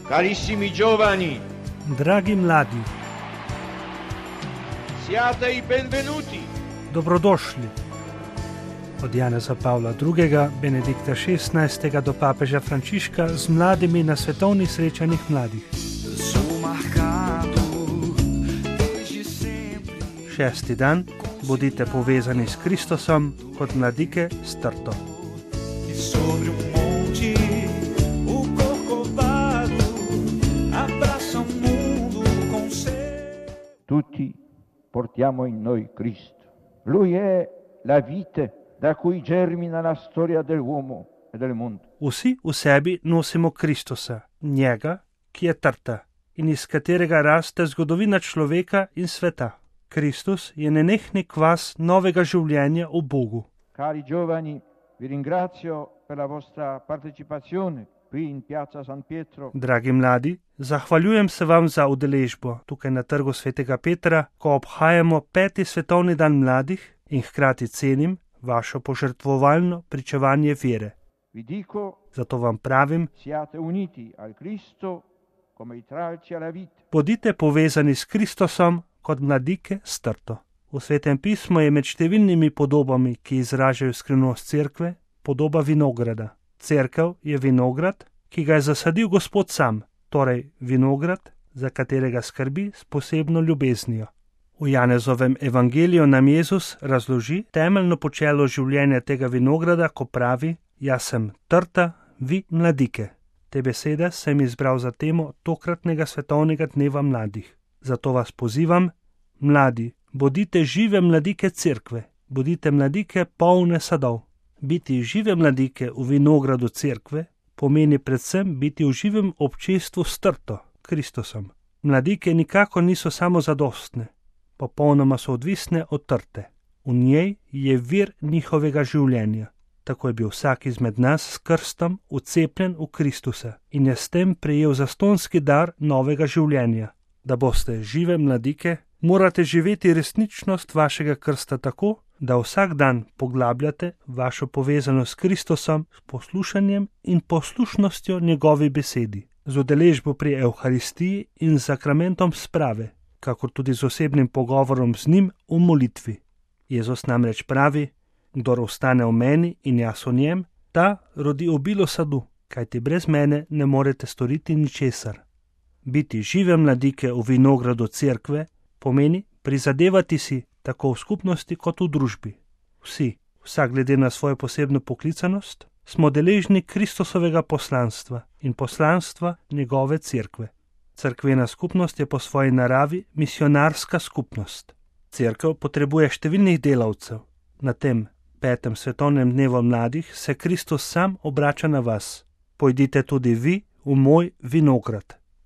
Carissimi giovani, Dragi mladi, siate i benvenuti. dobrodošli. Od Janeza Pavla II., Benedikta XVI. Do papeža Frančiška z mladimi na svetovnih srečanjih mladih. 6. dan, bodite povezani s Kristusom kot mladike s trto. Tutti portiamo in noi Cristo. Lui è la vite da cui germina la storia dell'uomo e del mondo. Vsi v sebi nosimo Kristusa, njega, ki je trta in iz katerega raste zgodovina človeka in sveta. Kristus je nenehni kvas novega življenja v Bogu. Cari giovani, vi ringrazio per la vostra partecipazione qui in Piazza San Pietro. Dragi mladi, zahvaljujem se vam za udeležbo tukaj na trgu svetega Petra, ko obhajamo 5. svetovni dan mladih in hkrati cenim vašo požrtvovalno pričevanje vere. Vi dico, Zato vam pravim, siate uniti al Cristo come i tralci alla vite. bodite povezani s Kristusom kot mladike s trto. V Svetem pismu je med številnimi podobami, ki izražajo skrivnost cerkve, podoba vinograda. Cerkev je vinograd, ki ga je zasadil Gospod sam, torej vinograd, za katerega skrbi s posebno ljubeznijo. V Janezovem evangeliju nam Jezus razloži temeljno počelo življenja tega vinograda, ko pravi: Jaz sem trta, vi mladike. Te besede sem izbral za temo tokratnega svetovnega dneva mladih. Zato vas pozivam, mladi, bodite žive mladike cerkve, bodite mladike polne sadov. Biti žive mladike v vinogradu cerkve pomeni predvsem biti v živem občestvu s trto, Kristusom. Mladike nikakor niso samozadostne, popolnoma so odvisne od trte. V njej je vir njihovega življenja. Tako je bil vsak izmed nas s krstom vcepljen v Kristusa in je s tem prejel zastonski dar novega življenja. Da boste žive mladike, morate živeti resničnost vašega krsta tako, da vsak dan poglabljate vašo povezanost s Kristusom s poslušanjem in poslušnostjo njegovi besedi, z udeležbo pri Evharistiji in z sakramentom sprave, kakor tudi z osebnim pogovorom z njim v molitvi. Jezus namreč pravi: Kdor ostane v meni in jaz v njem, ta rodi obilo sadu, kajti brez mene ne morete storiti ničesar. Biti žive mladike v vinogradu cerkve pomeni prizadevati si tako v skupnosti kot v družbi. Vsi, vsak glede na svojo posebno poklicanost, smo deležni Kristusovega poslanstva in poslanstva njegove cerkve. Cerkvena skupnost je po svoji naravi misionarska skupnost. Cerkev potrebuje številnih delavcev. Na tem 5. svetovnem dnevu mladih se Kristus sam obrača na vas. Pojdite tudi vi v moj vinograd.